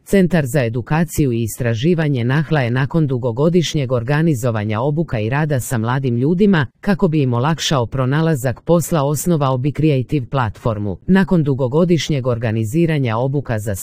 Centar za edukaciju i istraživanje Nahla je nakon dugogodišnjeg organizovanja obuka i rada sa mladim ljudima, kako bi im olakšao pronalazak posla, osnovao BeCreative platformu. Nakon dugogodišnjeg organiziranja obuka za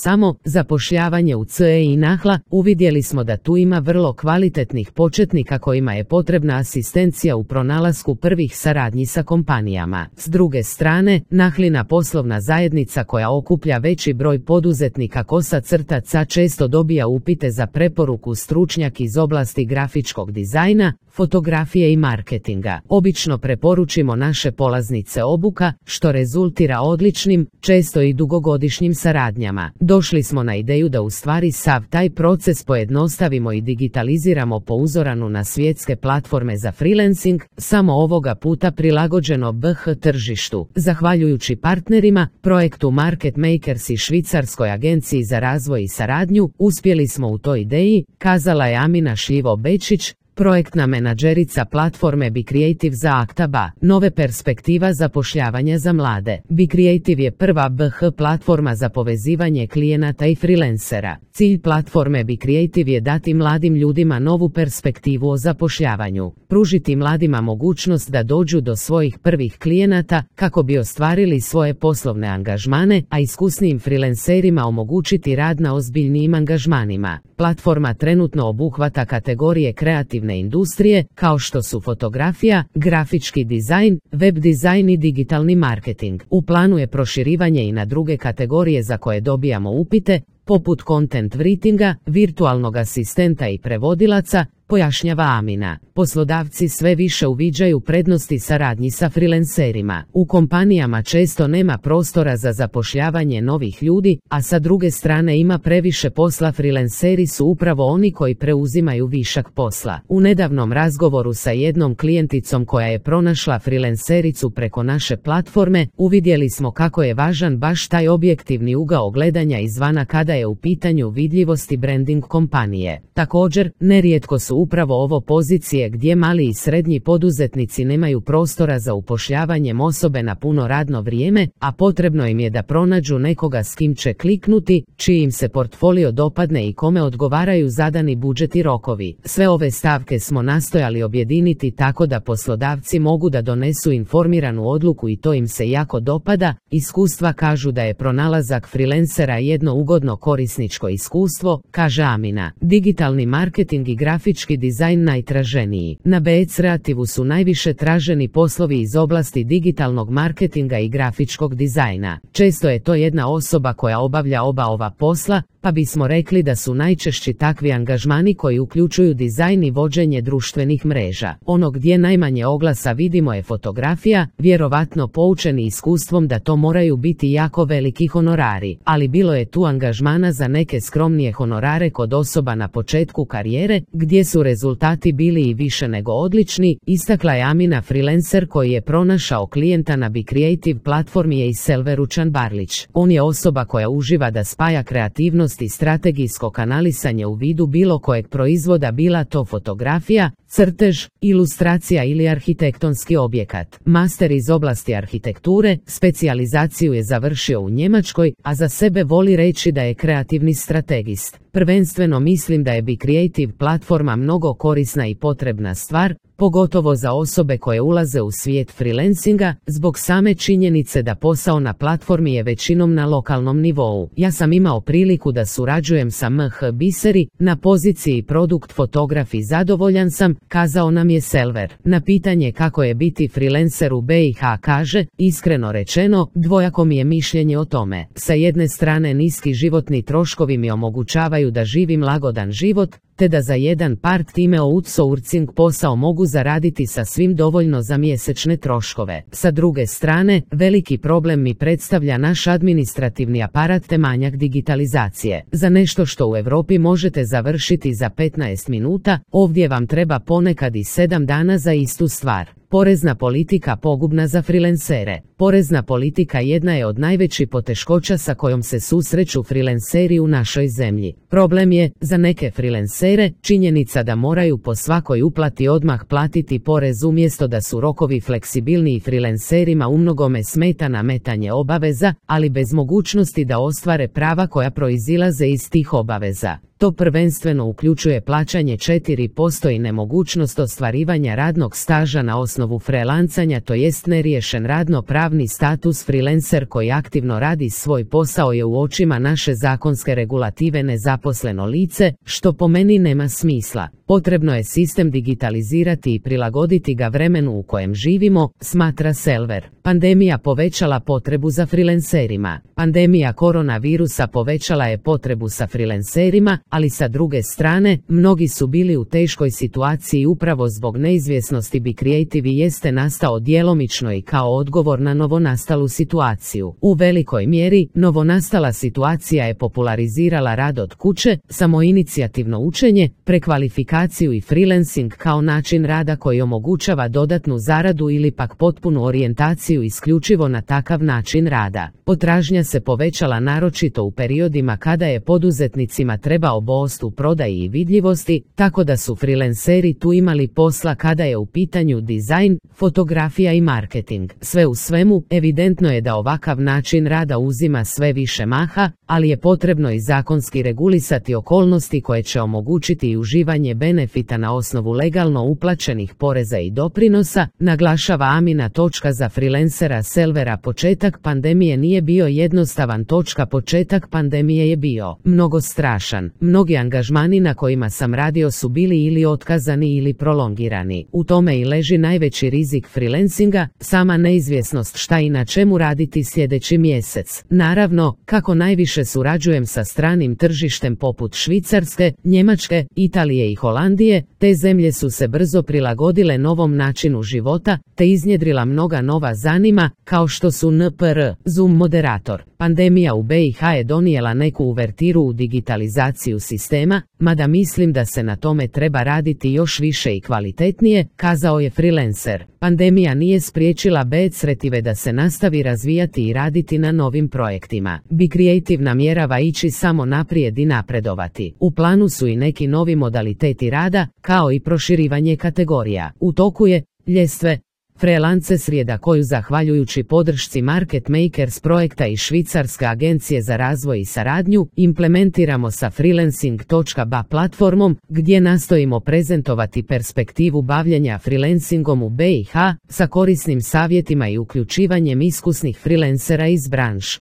zapošljavanje u CE i Nahla, uvidjeli smo da tu ima vrlo kvalitetnih početnika kojima je potrebna asistencija u pronalasku prvih saradnji sa kompanijama. S druge strane, Nahlina poslovna zajednica koja okuplja veći broj poduzetnika kosa-crtaca često dobija upite za preporuku stručnjak iz oblasti grafičkog dizajna, fotografije i marketinga. Obično preporučimo naše polaznice obuka, što rezultira odličnim, često i dugogodišnjim saradnjama. Došli smo na ideju da u stvari sav taj proces pojednostavimo i digitaliziramo po uzoranu na svjetske platforme za freelancing, samo ovoga puta prilagođeno BH tržištu. Zahvaljujući partnerima, projektu Market Makers i švicarskoj agenciji za razvoj i saradnju, uspjeli smo u toj ideji, kazala je Amina Šljivo-Bečić, projektna menadžerica platforme BeCreative za Aktaba. Nove perspektiva zapošljavanja za mlade. BeCreative je prva BH platforma za povezivanje klijenata i freelancera. Cilj platforme BeCreative je dati mladim ljudima novu perspektivu o zapošljavanju, pružiti mladima mogućnost da dođu do svojih prvih klijenata kako bi ostvarili svoje poslovne angažmane, a iskusnijim freelancerima omogućiti rad na ozbiljnijim angažmanima. Platforma trenutno obuhvata kategorije kreativne industrije, kao što su fotografija, grafički dizajn, web dizajn i digitalni marketing. U planu je proširivanje i na druge kategorije za koje dobijamo upite, poput content writinga, virtualnog asistenta i prevodilaca, pojašnjava Amina. Poslodavci sve više uviđaju prednosti saradnji sa freelancerima. U kompanijama često nema prostora za zapošljavanje novih ljudi, a sa druge strane ima previše posla. Freelanceri su upravo oni koji preuzimaju višak posla. U nedavnom razgovoru sa jednom klijenticom koja je pronašla freelancericu preko naše platforme, uvidjeli smo kako je važan baš taj objektivni ugao gledanja izvana kada je u pitanju vidljivost i branding kompanije. Također, nerijetko su upravo ovo pozicije gdje mali i srednji poduzetnici nemaju prostora za upošljavanjem osobe na puno radno vrijeme, a potrebno im je da pronađu nekoga s kim će kliknuti, čiji im se portfolio dopadne i kome odgovaraju zadani budžet i rokovi. Sve ove stavke smo nastojali objediniti tako da poslodavci mogu da donesu informiranu odluku i to im se jako dopada. Iskustva kažu da je pronalazak freelancera jedno ugodno korisničko iskustvo, kaže Amina. Digitalni marketing i grafički dizajn najtraženiji. Na BeCreativu su najviše traženi poslovi iz oblasti digitalnog marketinga i grafičkog dizajna. Često je to jedna osoba koja obavlja oba ova posla, pa bismo rekli da su najčešći takvi angažmani koji uključuju dizajn i vođenje društvenih mreža. Ono gdje najmanje oglasa vidimo je fotografija, vjerovatno poučeni iskustvom da to moraju biti jako veliki honorari, ali bilo je tu angažmana za neke skromnije honorare kod osoba na početku karijere, gdje su rezultati bili i više nego odlični, istakla je Amina. Freelancer koji je pronašao klijenta na BeCreative platformi je i Selveručan Barlić. On je osoba koja uživa da spaja kreativnost i strategijsko kanalisanje u vidu bilo kojeg proizvoda, bila to fotografija, crtež, ilustracija ili arhitektonski objekat. Master iz oblasti arhitekture, specijalizaciju je završio u Njemačkoj, a za sebe voli reći da je kreativni strategist. Prvenstveno mislim da je BeCreative platforma mnogo korisna i potrebna stvar, pogotovo za osobe koje ulaze u svijet freelancinga, zbog same činjenice da posao na platformi je većinom na lokalnom nivou. Ja sam imao priliku da surađujem sa MH Biseri na poziciji produkt fotograf i zadovoljan sam, kazao nam je Selver. Na pitanje kako je biti freelancer u BiH kaže, iskreno rečeno, dvojako mi je mišljenje o tome. Sa jedne strane niski životni troškovi mi omogućavaju da živim lagodan život, te da za jedan part-time outsourcing posao mogu zaraditi sasvim dovoljno za mjesečne troškove. Sa druge strane, veliki problem mi predstavlja naš administrativni aparat te manjak digitalizacije. Za nešto što u Europi možete završiti za 15 minuta, ovdje vam treba ponekad i 7 dana za istu stvar. Porezna politika pogubna za freelancere. Porezna politika jedna je od najvećih poteškoća sa kojom se susreću freelanceri u našoj zemlji. Problem je, za neke freelancere, činjenica da moraju po svakoj uplati odmah platiti porez umjesto da su rokovi fleksibilniji. Freelancerima umnogome smeta nametanje obaveza, ali bez mogućnosti da ostvare prava koja proizilaze iz tih obaveza. To prvenstveno uključuje plaćanje 4% i nemogućnost ostvarivanja radnog staža na osnovu freelancanja, to jest neriješen radno-pravni status. Freelancer koji aktivno radi svoj posao je u očima naše zakonske regulative nezaposleno lice, što po meni nema smisla. Potrebno je sistem digitalizirati i prilagoditi ga vremenu u kojem živimo, smatra Selver. Pandemija povećala potrebu za freelancerima. Pandemija koronavirusa povećala je potrebu sa freelancerima, ali sa druge strane, mnogi su bili u teškoj situaciji upravo zbog neizvjesnosti. Be Creative jeste nastao djelomično i kao odgovor na novonastalu situaciju. U velikoj mjeri, novonastala situacija je popularizirala rad od kuće, samoinicijativno učenje, prekvalifikaciju i freelancing kao način rada koji omogućava dodatnu zaradu ili pak potpunu orijentaciju isključivo na takav način rada. Potražnja se povećala naročito u periodima kada je poduzetnicima trebao boost u prodaji i vidljivosti, tako da su freelanceri tu imali posla kada je u pitanju dizajn, fotografija i marketing. Sve u svemu, evidentno je da ovakav način rada uzima sve više maha, ali je potrebno i zakonski regulisati okolnosti koje će omogućiti i uživanje benefita na osnovu legalno uplaćenih poreza i doprinosa, naglašava Amina. Za freelancera Selvera početak pandemije nije bio jednostavan. Početak pandemije je bio mnogo strašan. Mnogi angažmani na kojima sam radio su bili ili otkazani ili prolongirani. U tome i leži najveći rizik freelancinga, sama neizvjesnost šta i na čemu raditi sljedeći mjesec. Naravno, kako najviše surađujem sa stranim tržištem poput Švicarske, Njemačke, Italije i Holandije, te zemlje su se brzo prilagodile novom načinu života, te iznjedrila mnoga nova zanima, kao što su NPR, Zoom moderator. Pandemija u BiH je donijela neku uvertiru u digitalizaciju sistema, mada mislim da se na tome treba raditi još više i kvalitetnije, kazao je freelancer. Pandemija nije spriječila Be Creative da se nastavi razvijati i raditi na novim projektima. Be Creative namjerava ići samo naprijed i napredovati. U planu su i neki novi modaliteti rada, kao i proširivanje kategorija. U toku je ljestve freelance srijeda koju zahvaljujući podršci Market Makers projekta i Švicarske agencije za razvoj i saradnju implementiramo sa freelancing.ba platformom, gdje nastojimo prezentovati perspektivu bavljenja freelancingom u BiH sa korisnim savjetima i uključivanjem iskusnih freelancera iz branše.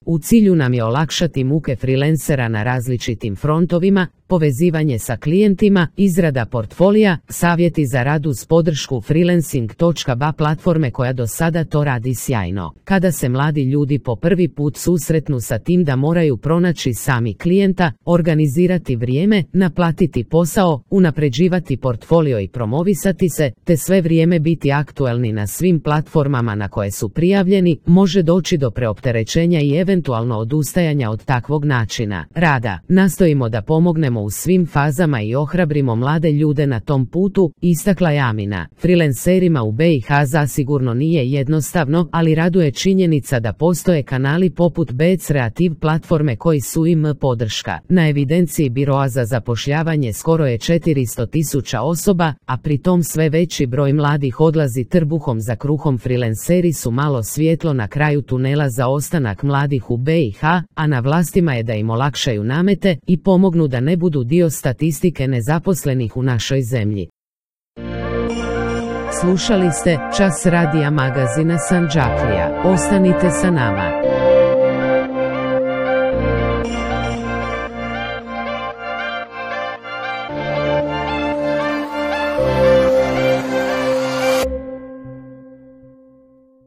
U cilju nam je olakšati muke freelancera na različitim frontovima, povezivanje sa klijentima, izrada portfolija, savjeti za rad uz podršku freelancing.ba platforme koja do sada to radi sjajno. Kada se mladi ljudi po prvi put susretnu sa tim da moraju pronaći sami klijenta, organizirati vrijeme, naplatiti posao, unapređivati portfolio i promovisati se, te sve vrijeme biti aktualni na svim platformama na koje su prijavljeni, može doći do preopterećenja i eventualno odustajanja od takvog načina rada. Nastojimo da pomognemo u svim fazama i ohrabrimo mlade ljude na tom putu, istakla je Amina. Freelancerima u BiH zasigurno nije jednostavno, ali raduje činjenica da postoje kanali poput Be Creative platforme koji su im podrška. Na evidenciji Biroa za zapošljavanje skoro je 400.000 osoba, a pritom sve veći broj mladih odlazi trbuhom za kruhom. Freelanceri su malo svjetlo na kraju tunela za ostanak mladih u BiH, a na vlastima je da im olakšaju namete i pomognu da ne budu dio statistike nezaposlenih u našoj zemlji. Slušali ste Čas radija magazina Sandžaklija. Ostanite sa nama.